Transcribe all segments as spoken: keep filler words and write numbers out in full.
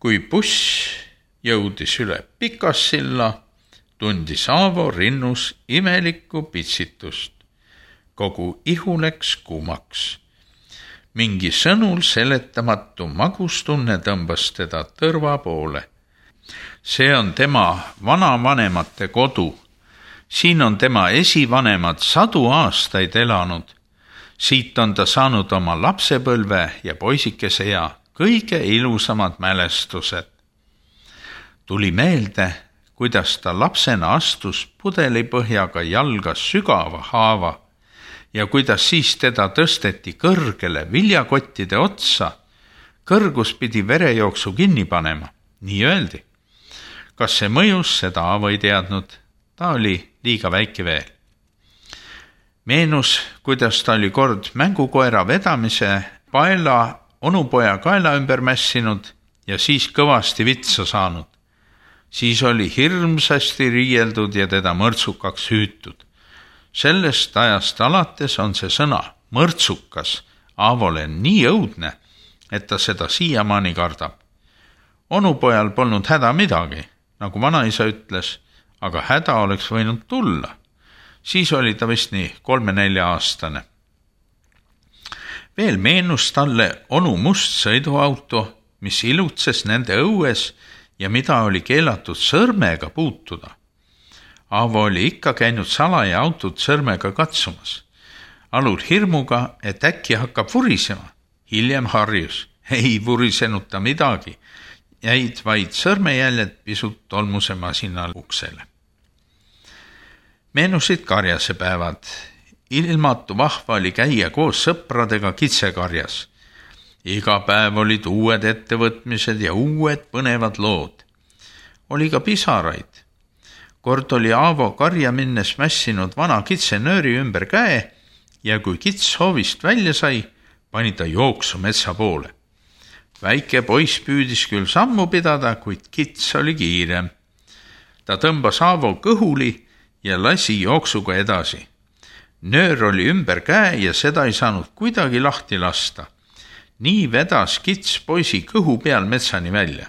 Kui buss jõudis üle Pikassilla, tundis Aavo rinnus imelikku pitsitust. Kogu ihu läks kuumaks. Mingi sõnul seletamatu magustunne tõmbas teda tõrva poole. See on tema vanavanemate kodu. Siin on tema esivanemad sadu aastaid elanud. Siit on ta saanud oma lapsepõlve ja poisikese ja kõige ilusamad mälestused. Tuli meelde, kuidas ta lapsena astus pudelipõhjaga jalga sügava haava ja kuidas siis teda tõsteti kõrgele viljakottide otsa. Kõrgus pidi verejooksu kinni panema, nii öeldi. Kas see mõjus, seda Aavo ei teadnud, ta oli liiga väike veel. Meenus, kuidas ta oli kord mängukoera vedamise paela onupoja kaela ümber mässinud ja siis kõvasti vitsa saanud. Siis oli hirmsasti riieldud ja teda mõrtsukaks hüütud. Sellest ajast alates on see sõna mõrtsukas Aavole nii õudne, et ta seda siiamaani kardab. Onupojal polnud häda midagi, nagu vanaisa ütles, aga häda oleks võinud tulla. Siis oli ta vist nii kolme-nelja aastane. Veel meenus talle onu must sõiduauto, mis ilutses nende õues ja mida oli keelatud sõrmega puutuda. Aavo oli ikka käinud salaja autot sõrmega katsumas. Alul hirmuga, et äkki hakkab vurisema. Hiljem harjus. Ei vurisenud ta midagi. Jäid vaid sõrmejäljed pisut tolmuse masina uksele. Meenusid karjasepäevad. Ilmatu vahva oli käia koos sõpradega kitsekarjas. Iga päev olid uued ettevõtmised ja uued põnevad lood. Oli ka pisaraid. Kord oli Aavo karja minnes mässinud vana kitsenööri ümber käe ja kui kits hoovist välja sai, pani ta jooksu metsa poole. Väike poiss püüdis küll sammu pidada, kuid kits oli kiirem. Ta tõmbas Aavo kõhuli ja lasi jooksuga edasi. Nöör oli ümber käe ja seda ei saanud kuidagi lahti lasta. Nii vedas kits poisi kõhu peal metsani välja.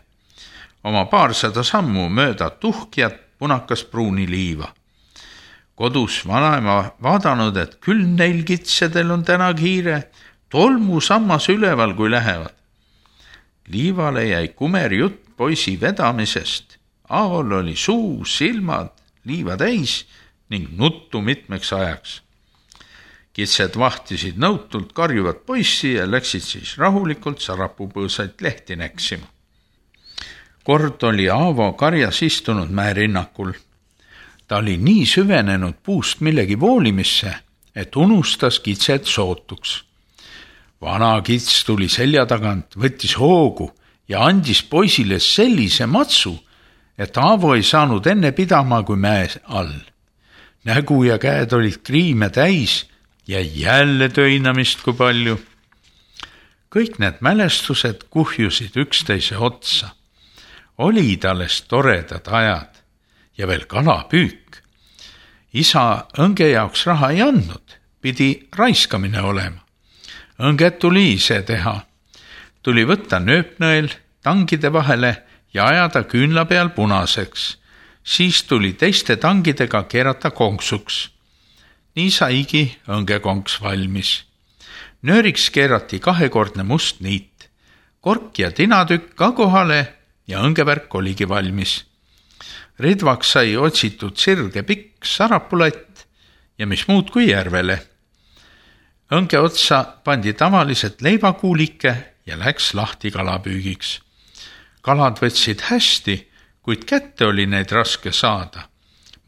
Oma paarsada sammu mööda tuhkjat punakas pruuni liiva. Kodus vanaema vaadanud, et küll neil kitsedel on täna kiire, tolmu sammas üleval, kui lähevad. Liivale jäi kumer jutt poisi vedamisest. Aavol oli suu, silmad, liiva täis ning nuttu mitmeks ajaks. Kitsed vahtisid nõutult karjuvat poissi ja läksid siis rahulikult sarapupõõsaid lehti näksima. Kord oli Aavo karjas istunud mäerinnakul. Ta oli nii süvenenud puust millegi voolimisse, et unustas kitsed sootuks. Vana kits tuli selja tagant, võttis hoogu ja andis poisile sellise matsu, et Aavo ei saanud enne pidama kui mäe all. Nägu ja käed olid kriime täis ja jälle töinamist kui palju. Kõik need mälestused kuhjusid üksteise otsa. Olid alles toredad ajad ja veel kalapüük. Isa õnge jaoks raha ei andnud, pidi raiskamine olema. Õnget tuli ise teha. Tuli võtta nööpnõel tangide vahele ja ajada küünla peal punaseks. Siis tuli teiste tangidega keerata konksuks. Nii saigi õngekonks valmis. Nööriks keerati kahekordne must niit. Kork ja tinatükk ka kohale ja õngevärk oligi valmis. Ridvaks sai otsitud sirge pikk sarapulett ja mis muud kui järvele. Õnge otsa pandi tavaliselt leivakuulike ja läks lahti kalapüügiks. Kalad võtsid hästi, kuid kätte oli neid raske saada.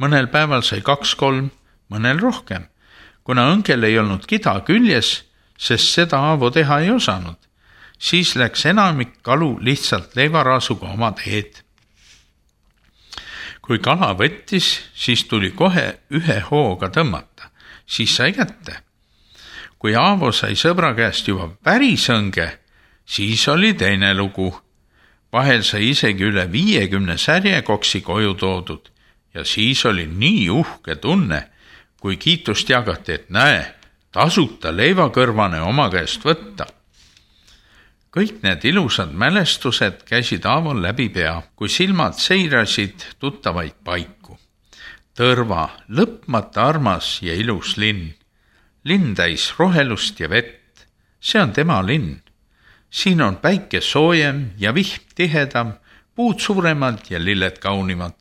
Mõnel päeval sai kaks-kolm, mõnel rohkem, kuna õngel ei olnud kida küljes, sest seda Aavo teha ei osanud. Siis läks enamik kalu lihtsalt leivaraasuga oma teed. Kui kala võttis, siis tuli kohe ühe hooga tõmmata, siis sai kätte. Kui Aavo sai sõbra käest juba päris õnge, siis oli teine lugu. Vahel sai isegi üle viiekümne särje koksi koju toodud ja siis oli nii uhke tunne, kui kiitust jagati, et näe, tasuta leivakõrvane oma käest võtta. kõik need ilusad mälestused käisid Aaval läbi pea, kui silmad seirasid tuttavaid paiku. Tõrva, lõpmata armas ja ilus linn. Linn täis rohelust ja vett. See on tema linn. Siin on päike soojem ja vihm tihedam, puud suuremad ja lilled kaunimad.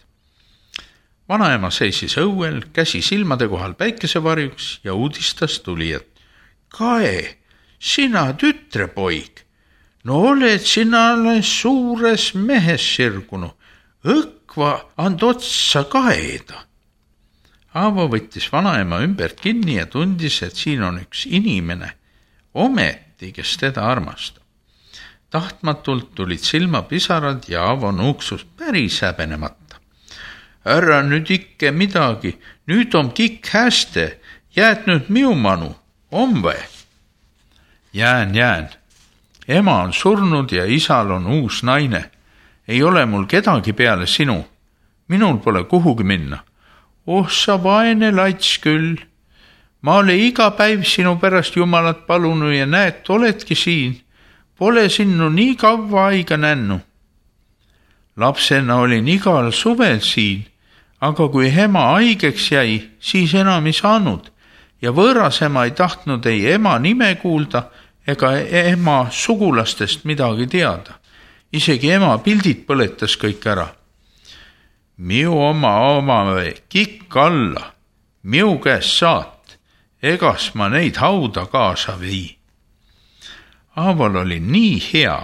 Vanaema seisis õuel, käsi silmade kohal päikesevarjuks ja uudistas tulijat. Kae, sina tütrepoig, no oled sina alles suures mehes sirgunu, õkva and otsa kaeda. Aavo võttis vanaema ümbert kinni ja tundis, et siin on üks inimene, ometi, kes teda armastab. Tahtmatult tulid silmapisarad ja Aavo nuuksus päris häbenemata. Ära nüüd ikke midagi, nüüd on kikk häste, jääd nüüd miumanu, on või? Jään, jään. Ema on surnud ja isal on uus naine. Ei ole mul kedagi peale sinu. Minul pole kuhugi minna. Oh, sa vaene lats küll. Ma olen iga päiv sinu pärast Jumalat palunud ja näed, oledki siin. Pole sinnu nii kaua aega nännu. Lapsena olin igal suvel siin, aga kui ema haigeks jäi, siis enam ei saanud ja võõras ema ei tahtnud ei ema nime kuulda ega ema sugulastest midagi teada. Isegi ema pildid põletas kõik ära. Miu oma oma kikk alla, miu käest saat, egas ma neid hauda kaasa vii. Aaval oli nii hea,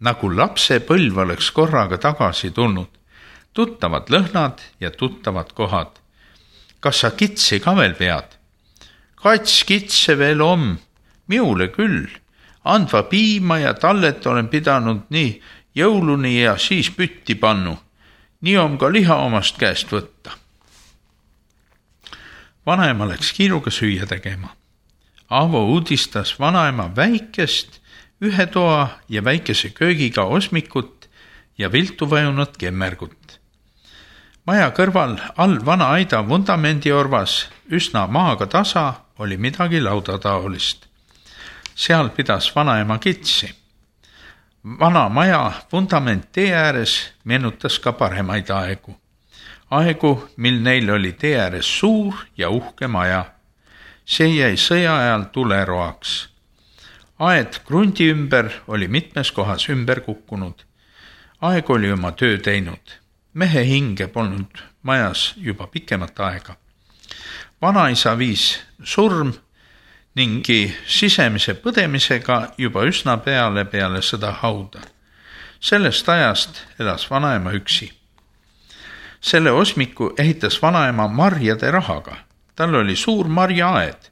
nagu lapse põlv oleks korraga tagasi tulnud. Tuttavad lõhnad ja tuttavad kohad. Kas sa kitsi ka veel pead? Kats kitse veel om, miule küll. Andva piima ja tallet olen pidanud nii jõuluni ja siis pütti pannu. Nii on ka liha omast käest võtta. Vanaema läks kiiruga süüa tegema. Aavo uudistas vanaema väikest, ühe toa ja väikese köögiga osmikut ja viltu vajunud kemmergut. Maja kõrval all vana aida vundamendi orvas, üsna maaga tasa, oli midagi laudataolist. Seal pidas vanaema kitsi. Vana maja vundament tee ääres meenutas ka paremaid aegu. Aegu, mil neil oli tee ääres suur ja uhke maja. See jäi sõja ajal tuleroaks. Aed krundi ümber oli mitmes kohas ümber kukkunud. Aeg oli oma töö teinud. Mehe hinge polnud majas juba pikemat aega. Vanaisa viis surm ningi sisemise põdemisega juba üsna peale peale sõda hauda. Sellest ajast elas vanaema üksi. Selle osmiku ehitas vanaema marjade rahaga. Tal oli suur marjaaed.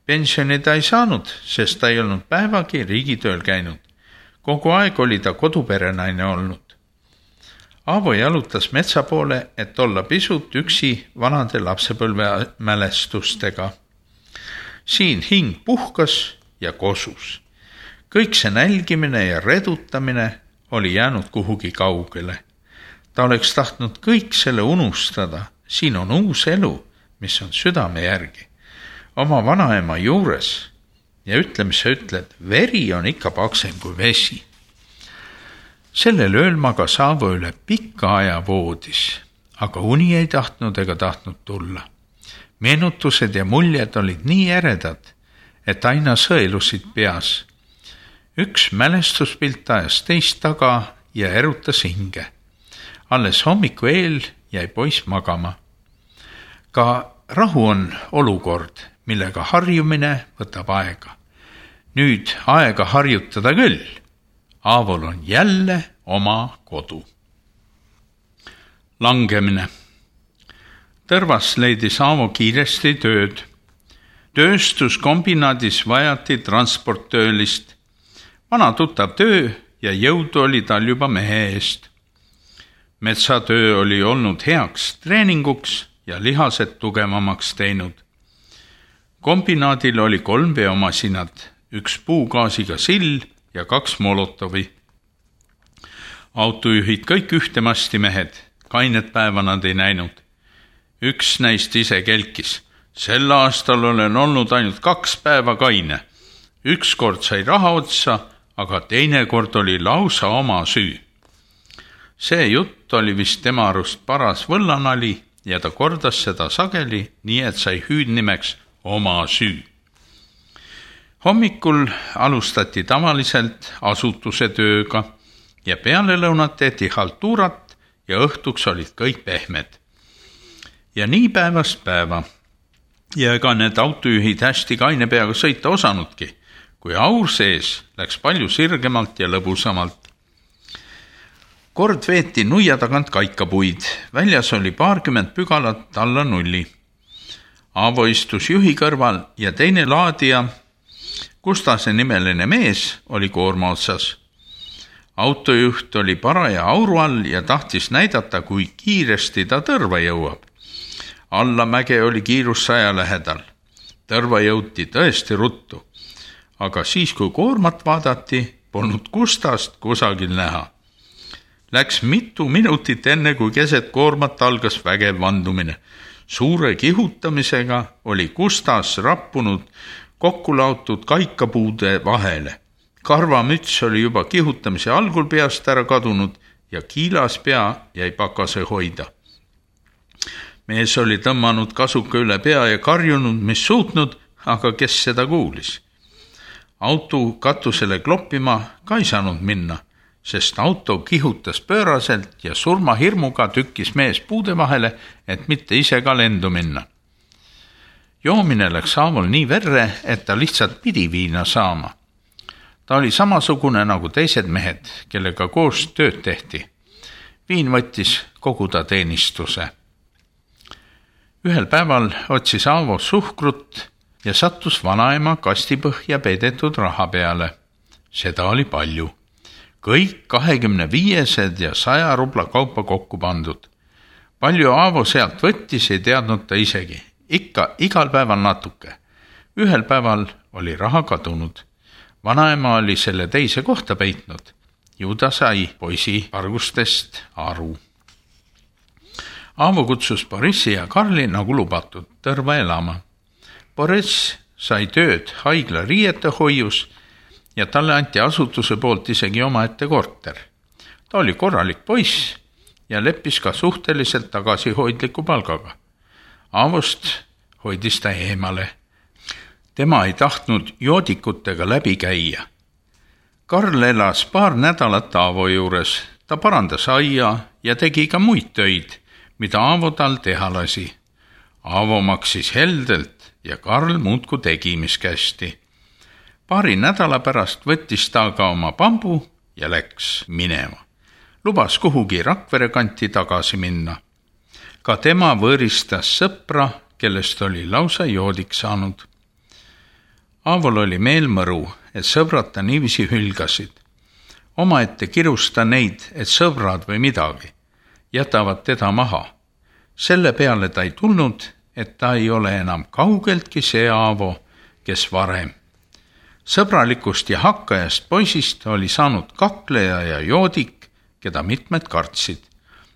Pensioni ta ei saanud, sest ta ei olnud päevagi riigitööl käinud. Kogu aeg oli ta koduperenaine olnud. Aavo jalutas metsa poole, et olla pisut üksi vanade lapsepõlve mälestustega. Siin hing puhkas ja kosus. Kõik see nälgimine ja redutamine oli jäänud kuhugi kaugele. Ta oleks tahtnud kõik selle unustada. Siin on uus elu, mis on südame järgi. Oma vanaema juures ja ütle, mis sa ütled, veri on ikka paksem kui vesi. Sellel ööl magas Aavo üle pikka aja voodis, aga uni ei tahtnud ega tahtnud tulla. Meenutused ja muljed olid nii eredad, et aina sõelusid peas. Üks mälestuspilt ajas teist taga ja erutas hinge. Alles hommiku eel jäi poiss magama. Ka rahu on olukord, millega harjumine võtab aega. Nüüd aega harjutada küll. Aavol on jälle oma kodu. Langemine. Tõrvas leidis Aavo kiiresti tööd. Tööstuskombinaadis vajati transporttöölist. Vana tuttav töö ja jõudu oli tal juba mehe eest. Metsatöö oli olnud heaks treeninguks ja lihased tugevamaks teinud. Kombinaadil oli kolm veomasinad, üks puugaasiga sill ja kaks molotovi. Autojuhid kõik ühtemasti mehed, kainet päeva nad ei näinud. Üks näist ise kelkis. Sel aastal olen olnud ainult kaks päeva kaine. Üks kord sai raha otsa, aga teinekord oli lausa oma süü. See jutt oli vist tema arust paras võllanali ja ta kordas seda sageli, nii et sai hüüdnimeks oma süü. Hommikul alustati tavaliselt asutuse tööga ja peale lõunat tehti haltuurat ja õhtuks olid kõik pehmed. Ja nii päevast päeva. Ja ega need autojuhid hästi kaine peaga sõita osanudki, kui aur sees läks palju sirgemalt ja lõbusamalt. Kord veeti nuia tagant kaikapuid, väljas oli paarkümmend pügalat alla nulli. Aavo istus juhi kõrval ja teine laadija, Kustase nimeline mees, oli koorma otsas. Autojuht oli paraja auru all ja tahtis näidata, kui kiiresti ta tõrva jõuab. Allamäge oli kiirus saja lähedal. Tõrva jõuti tõesti ruttu, aga siis, kui koormat vaadati, polnud Kustast kusagil näha. Läks mitu minutit enne, kui keset koormat algas vägev vandumine. Suure kihutamisega oli Kustas rappunud kokku laotud kaikapuude vahele. Karvamüts oli juba kihutamise algul peast ära kadunud ja kiilas pea jäi pakase hoida. Mees oli tõmmanud kasuka üle pea ja karjunud, mis suutnud, aga kes seda kuulis. Auto katusele kloppima ka ei saanud minna, sest auto kihutas pööraselt ja surmahirmuga tükkis mees puude vahele, et mitte ise ka lendu minna. Joomine läks Aavol nii verre, et ta lihtsalt pidi viina saama. Ta oli samasugune nagu teised mehed, kellega koos tööd tehti. Viin võttis kogu ta teenistuse. Ühel päeval otsis Aavo suhkrut ja sattus vanaema kastipõhja peidetud raha peale. Seda oli palju. Kõik kahekümne viiesed ja saja rubla kaupa kokku pandud. Palju Aavo sealt võttis, ei teadnud ta isegi. Ikka igal päeval natuke. Ühel päeval oli raha kadunud. Vanaema oli selle teise kohta peitnud. Ju ta sai poisi argustest aru. Aavo kutsus Borissi ja Karli nagu lubatud tõrva elama. Boriss sai tööd haigla riiete hoius ja talle anti asutuse poolt isegi omaette korter. Ta oli korralik poiss ja leppis ka suhteliselt tagasihoidliku palgaga. Aavost hoidis ta eemale. Tema ei tahtnud joodikutega läbi käia. Karl elas paar nädalat Aavo juures. Ta parandas aia ja tegi ka muid töid, mida Aavo tal teha lasi. Aavo maksis heldelt ja Karl muudku tegi, mis kästi. Paari nädala pärast võttis ta ka oma pambu ja läks minema. Lubas kuhugi Rakvere kanti tagasi minna. Ka tema võõristas sõpra, kellest oli lausa joodik saanud. Aavol oli meel mõru, et sõbrad ta niivisi hülgasid. Omaette kirusta neid, et sõbrad või midagi jätavad teda maha. Selle peale ta ei tulnud, et ta ei ole enam kaugeltki see Aavo, kes varem. Sõbralikust ja hakkajast poisist oli saanud kakleja ja joodik, keda mitmed kartsid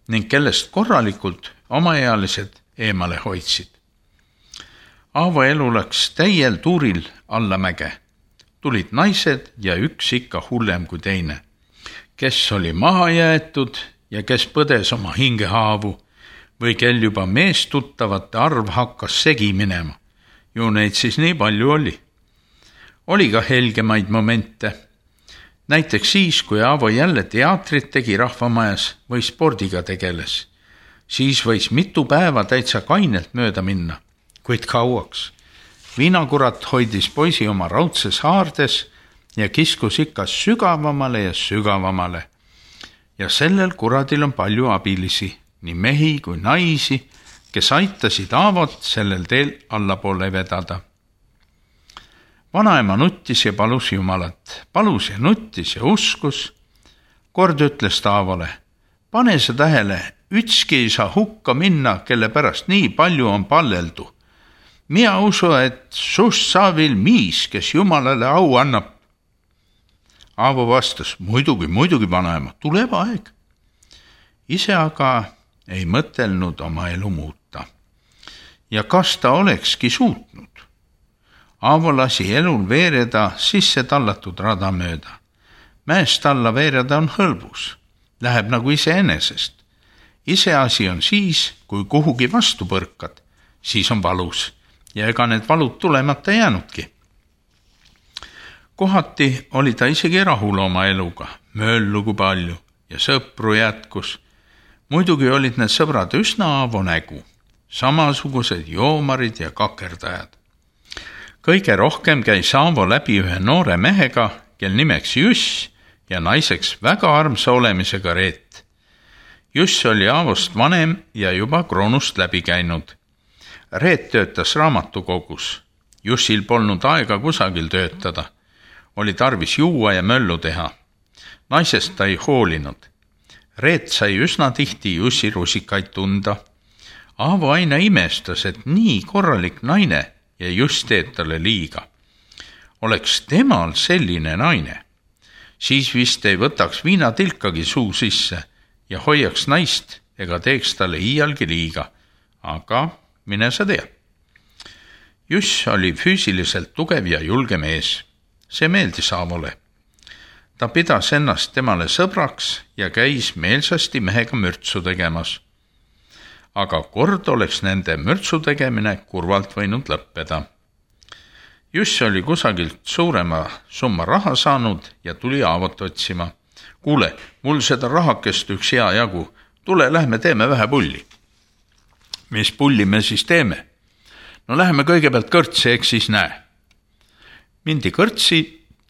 ning kellest korralikult omaealised eemale hoidsid. Aavo elu läks täiel tuuril allamäge. Tulid naised ja üks ikka hullem kui teine. Kes oli maha jäetud ja kes põdes oma hingehaavu või kel juba meestuttavate arv hakkas segi minema. Ju neid siis nii palju oli. Oli ka helgemaid momente. Näiteks siis, kui Aavo jälle teatrit tegi rahvamajas või spordiga tegeles. Siis võis mitu päeva täitsa kainelt mööda minna, kuid kauaks. Viinakurat hoidis poisi oma raudses haardes ja kiskus ikka sügavamale ja sügavamale. Ja sellel kuradil on palju abilisi, nii mehi kui naisi, kes aitasid Aavot sellel teel allapoole vedada. Vanaema nuttis ja palus Jumalat. Palus ja nuttis ja uskus. Kord ütles ta Aavole, pane sa tähele, ütski ei saa hukka minna, kelle pärast nii palju on palleldu. Mina usu, et sust saavil miis, kes Jumalale au annab. Aavo vastas, muidugi, muidugi vanaema, tuleb aeg. Ise aga ei mõtelnud oma elu muuta. Ja kas ta olekski suutnud? Aavo lasi elul veereda sisse tallatud rada mööda. mäest alla veereda on hõlbus, läheb nagu iseenesest. Iseasi on siis, kui kuhugi vastu põrkad, siis on valus ja ega need valud tulemata jäänudki. Kohati oli ta isegi rahul oma eluga, mööllugu palju ja sõpru jätkus. Muidugi olid need sõbrad üsna Aavo nägu, samasugused joomarid ja kakerdajad. Kõige rohkem käis Aavo läbi ühe noore mehega, kel nimeks Juss ja naiseks väga armsa olemisega Reet. Juss oli Aavost vanem ja juba kroonust läbi käinud. Reet töötas raamatukogus. Jussil polnud aega kusagil töötada. Oli tarvis juua ja möllu teha. Naisest ta ei hoolinud. Reet sai üsna tihti Jussi rusikaid tunda. Aavo aina imestas, et nii korralik naine ja Juss teeb talle liiga. Oleks temal selline naine, siis vist ei võtaks viinatilkagi suu sisse ja hoiaks naist ega teeks talle iialgi liiga, aga mine sa tea. Juss oli füüsiliselt tugev ja julge mees. See meeldis Aavole. Ta pidas ennast temale sõbraks ja käis meelsasti mehega mürtsu tegemas. Aga kord oleks nende mürtsu tegemine kurvalt võinud lõppeda. Juss oli kusagilt suurema summa raha saanud ja tuli Aavot otsima. Kuule, mul seda rahakest üks hea jagu. Tule, lähme teeme vähe pulli. Mis pulli me siis teeme? No läheme kõigepealt kõrtsi, eks siis näe. Mindi kõrtsi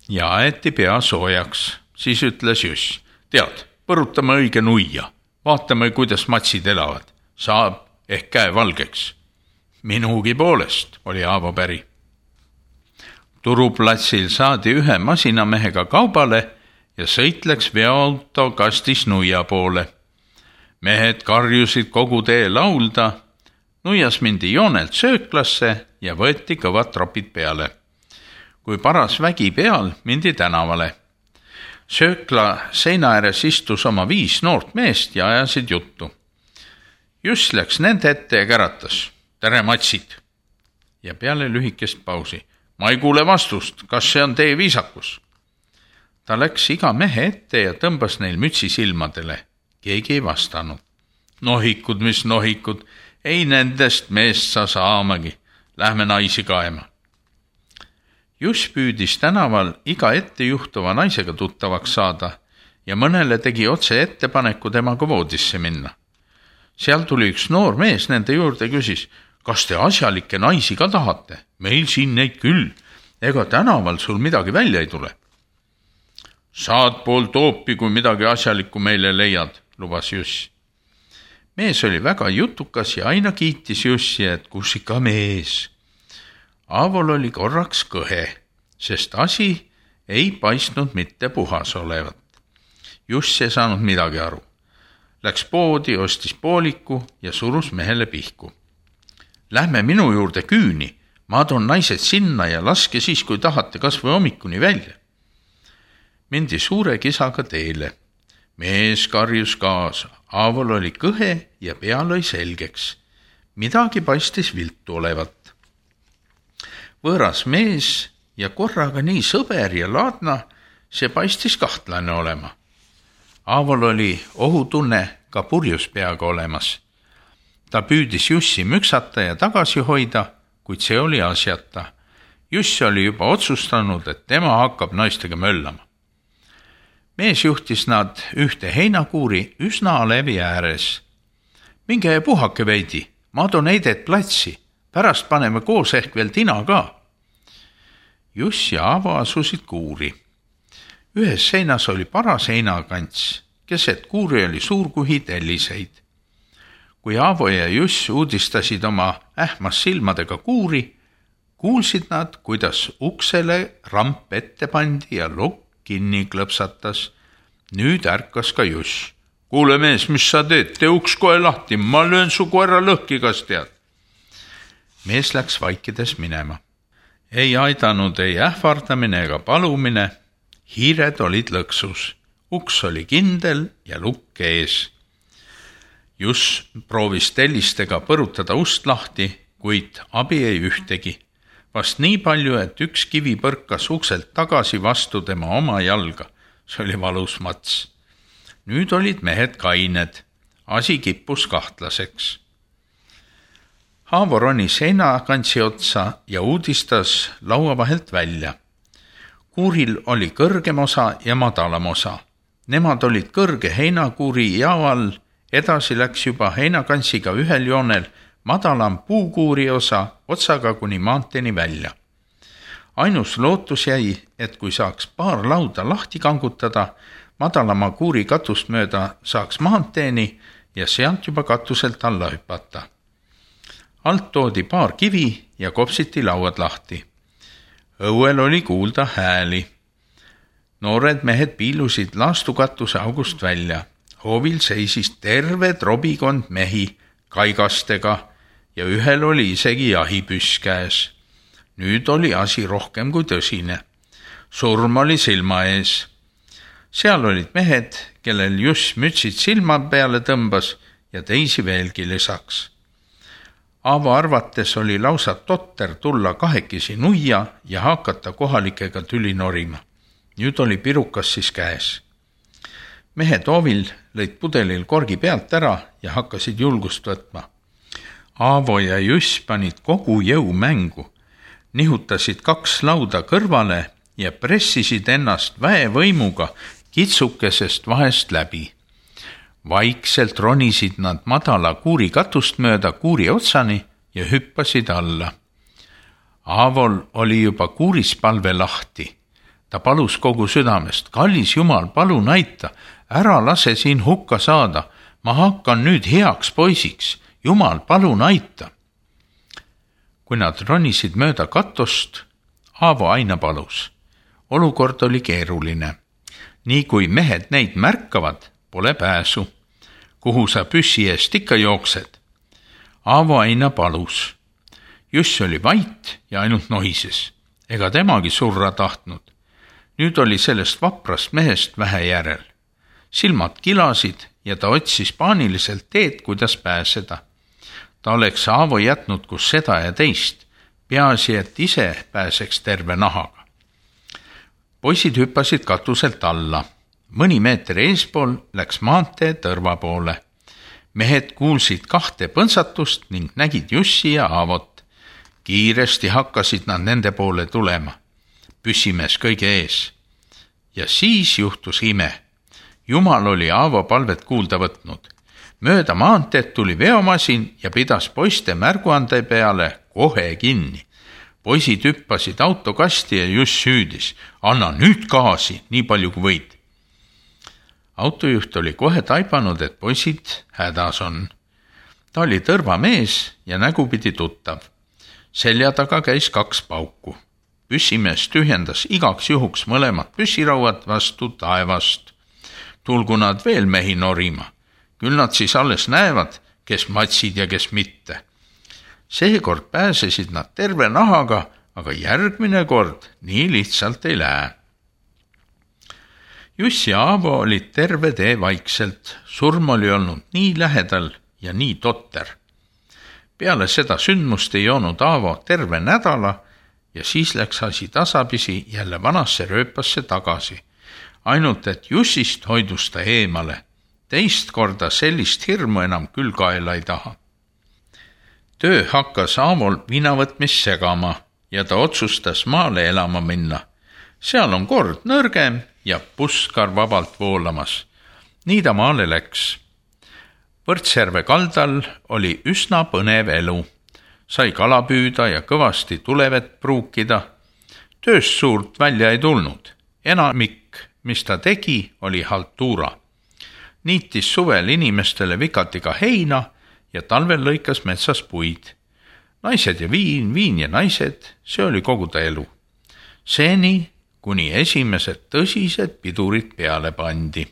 ja aeti pea soojaks. Siis ütles Juss, tead, põrutame õige nuia. Vaatame, kuidas matsid elavad. Saab ehk käe valgeks. Minugi poolest, oli Aavo päri. Turuplatsil saadi ühe masinamehega kaubale ja sõit läks veoauto kastis nuia poole. Mehed karjusid kogu tee laulda. Nuias mindi joonelt sööklasse ja võeti kõvad tropid peale. Kui paras vägi peal, mindi tänavale. Söökla seina ääres istus oma viis noort meest ja ajasid juttu. Juss läks nende ette ja käratas. Tere, matsid! Ja peale lühikest pausi. Ma ei kuule vastust, kas see on teie viisakus? Ta läks iga mehe ette ja tõmbas neil mütsi silmadele. Keegi ei vastanud. Nohikud, mis nohikud, ei nendest meest sa saamagi. Lähme naisi kaema. Juss püüdis tänaval iga ette juhtuva naisega tuttavaks saada ja mõnele tegi otse ettepaneku temaga voodisse minna. Seal tuli üks noor mees nende juurde küsis, kas te asjalikke naisi ka tahate? Meil siin neid küll, ega tänaval sul midagi välja ei tule. Saad pool toopi, kui midagi asjalikku meile leiad, lubas Juss. Mees oli väga jutukas ja aina kiitis Jussi, et kus ikka mees. Aavol oli korraks kõhe, sest asi ei paistnud mitte puhas olevat. Juss ei saanud midagi aru. Läks poodi, ostis pooliku ja surus mehele pihku. Lähme minu juurde küüni, ma toon naised sinna ja laske siis, kui tahate, kas või hommikuni välja. Mindi suure kisaga teele. Mees karjus kaasa. Aavol oli kõhe ja pea lõi selgeks. Midagi paistis viltu olevat. Võõras mees ja korraga nii sõber ja laadna, see paistis kahtlane olema. Aavol oli ohutunne ka purjus peaga olemas. Ta püüdis Jussi müksata ja tagasi hoida, kuid see oli asjata. Juss oli juba otsustanud, et tema hakkab naistega möllama. Mees juhtis nad ühte heinakuuri üsna alevi ääres. Minge ja puhake veidi, ma toon heidet platsi, pärast paneme koos ehk veel tina ka. Juss ja Aavo asusid kuuri. Ühes seinas oli paras heinakants, keset kuuri oli suur kuhi telliseid. Kui Aavo ja Juss uudistasid oma ähmas silmadega kuuri, kuulsid nad, kuidas uksele ramp ette pandi ja lukk kinni klõpsatas. Nüüd ärkas ka Juss. Kuule mees, mis sa teed? Tee uks kohe lahti, ma löön su koera lõhki, kas tead. Mees läks vaikides minema. Ei aidanud ei ähvardamine ega palumine. Hiired olid lõksus. Uks oli kindel ja lukk ees. Juss proovis tellistega põrutada ust lahti, kuid abi ei ühtegi. Vast nii palju, et üks kivi põrkas ukselt tagasi vastu tema oma jalga. see oli valus mats. Nüüd olid mehed kained, asi kippus kahtlaseks. Aavo ronis heinakantsi otsa ja uudistas laua vahelt välja. Kuuril oli kõrgem osa ja madalam osa. Nemad olid kõrge heinakuuri jao all, edasi läks juba heinakantsiga ühel joonel madalam puukuuri osa otsaga kuni maanteeni välja. Ainus lootus jäi, et kui saaks paar lauda lahti kangutada, madalama kuuri katust mööda saaks maanteeni ja sealt juba katuselt alla hüpata. Alt toodi paar kivi ja kopsiti lauad lahti. Õuel oli kuulda hääli. Noored mehed piilusid laastukatuse august välja. Hoovil seisis terve trobikond mehi kaigastega ja ühel oli isegi jahipüss käes. Nüüd oli asi rohkem kui tõsine. Surm oli silma ees. Seal olid mehed, kellel just mütsid silma peale tõmbas ja teisi veelgi lisaks. Aavo arvates oli lausa totter tulla kahekesi nuia ja hakata kohalikega tüli norima. Nüüd oli pirukas siis käes. Mehed Hoovil lõid pudelil korgi pealt ära ja hakkasid julgust võtma. Aavo ja Juss panid kogu jõu mängu, nihutasid kaks lauda kõrvale ja pressisid ennast väevõimuga kitsukesest vahest läbi. Vaikselt ronisid nad madala kuuri katust mööda kuuri otsani ja hüppasid alla. Aavol oli juba kuuris palve lahti. Ta palus kogu südamest, kallis Jumal, palun aita, ära lase siin hukka saada, ma hakkan nüüd heaks poisiks, Jumal, palun aita. Kui nad ronisid mööda katust, Aavo aina palus. Olukord oli keeruline. Nii kui mehed neid märkavad, pole pääsu. Kuhu sa püssi eest ikka jooksed? Aavo aina palus. Juss oli vait ja ainult nohises. Ega temagi surra tahtnud. Nüüd oli sellest vaprast mehest vähe järel. Silmad kilasid ja ta otsis paaniliselt teed, kuidas pääseda. Ta oleks Aavo jätnud kus seda ja teist, peaasi, et ise pääseks terve nahaga. Poisid hüppasid katuselt alla. Mõni meeter eespool läks maantee tõrva poole. Mehed kuulsid kahte põnsatust ning nägid Jussi ja Aavot. Kiiresti hakkasid nad nende poole tulema. Püssimees kõige ees. Ja siis juhtus ime. Jumal oli Aavo palvet kuulda võtnud. Mööda maanteed tuli veomasin ja pidas poiste märguande peale kohe kinni. Poisid hüppasid autokasti ja Juss hüüdis. Anna nüüd gaasi, nii palju kui võid. Autojuht oli kohe taibanud, et poisid hädas on. Ta oli tõrva mees ja nägupidi tuttav. Selja taga käis kaks pauku. Püssimees tühjendas igaks juhuks mõlemad püssirauad vastu taevast. Tulgu nad veel mehi norima. Küll nad siis alles näevad, kes matsid ja kes mitte. Seekord pääsesid nad terve nahaga, aga järgmine kord nii lihtsalt ei lähe. Juss ja Aavo olid terve tee vaikselt. Surm oli olnud nii lähedal ja nii totter. Peale seda sündmust ei joonud Aavo terve nädala ja siis läks asi tasapisi jälle vanasse rööpasse tagasi. Ainult, et Jussist hoidus ta eemale. Teist korda sellist hirmu enam küll kaela ei taha. Töö hakkas Aavol viinavõtmist segama ja ta otsustas maale elama minna. Seal on kord nõrgem ja puskar vabalt voolamas. Nii ta maale läks. Võrtsjärve kaldal oli üsna põnev elu. Sai kala püüda ja kõvasti tulevett pruukida. Tööst suurt välja ei tulnud. Enamik, mis ta tegi, oli haltuura. Niitis suvel inimestele vikatiga heina ja talvel lõikas metsas puid. Naised ja viin, viin ja naised, see oli kogu ta elu. Seeni, kuni esimesed tõsised pidurid peale pandi.